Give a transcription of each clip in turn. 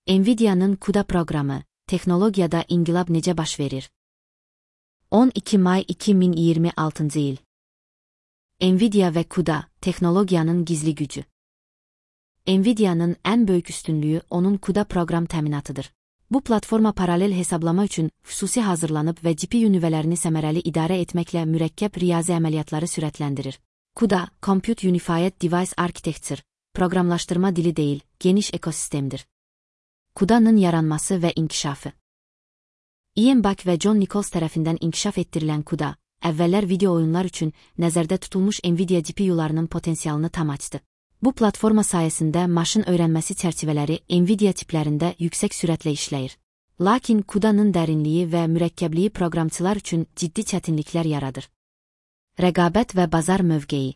Nvidia'nın CUDA proqramı, texnologiyada inqilab necə baş verir? 12 may 2026-cı il. Nvidia və CUDA, texnologiyanın gizli gücü. Nvidia'nın ən böyük üstünlüyü onun CUDA proqram təminatıdır. Bu platforma paralel hesablama üçün xüsusi hazırlanıb və GPU nüvələrini səmərəli idarə etməklə mürəkkəb riyazi əməliyyatları sürətləndirir. CUDA, Compute Unified Device Architecture, proqramlaşdırma dili deyil, geniş ekosistemdir. CUDA'nın yaranması və inkişafı. Ian Back və John Nichols tərəfindən inkişaf etdirilən CUDA, əvvəllər video oyunlar üçün nəzərdə tutulmuş Nvidia GPU-larının potensialını tam açdı. Bu platforma sayəsində maşın öyrənməsi çərçivələri Nvidia tiplərində yüksək sürətlə işləyir. Lakin CUDA'nın dərinliyi və mürəkkəbliyi proqramçılar üçün ciddi çətinliklər yaradır. Rəqabət və bazar mövqeyi.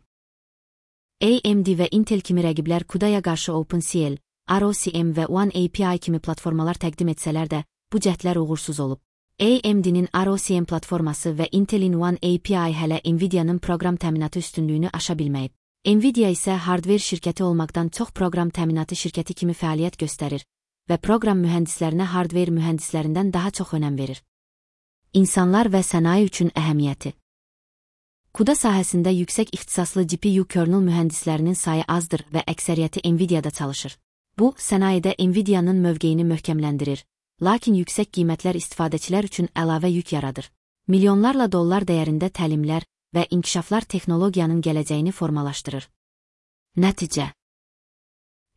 AMD və Intel kimi rəqiblər CUDA'ya qarşı OpenCL, ROCm və OneAPI kimi platformalar təqdim etsələr də, bu cəhdlər uğursuz olub. AMD'nin ROCm platforması və Intel'in OneAPI hələ Nvidia'nın proqram təminatı üstünlüyünü aşa bilməyib. Nvidia isə hardware şirkəti olmaqdan çox proqram təminatı şirkəti kimi fəaliyyət göstərir və proqram mühəndislərinə hardware mühəndislərindən daha çox önəm verir. İnsanlar və sənaye üçün əhəmiyyəti. CUDA sahəsində yüksək ixtisaslı GPU kernel mühəndislərinin sayı azdır və əksəriyyəti Nvidia'da çalışır. Bu, sənayedə Nvidia'nın mövqeyini möhkəmləndirir, lakin yüksək qiymətlər istifadəçilər üçün əlavə yük yaradır. Milyonlarla dollar dəyərində təlimlər və inkişaflar texnologiyanın gələcəyini formalaşdırır. Nəticə.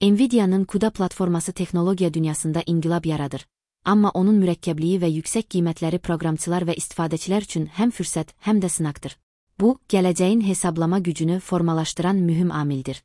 Nvidia'nın CUDA platforması texnologiya dünyasında inqilab yaradır, amma onun mürəkkəbliyi və yüksək qiymətləri proqramçılar və istifadəçilər üçün həm fürsət, həm də sınaqdır. Bu, gələcəyin hesablama gücünü formalaşdıran mühüm amildir.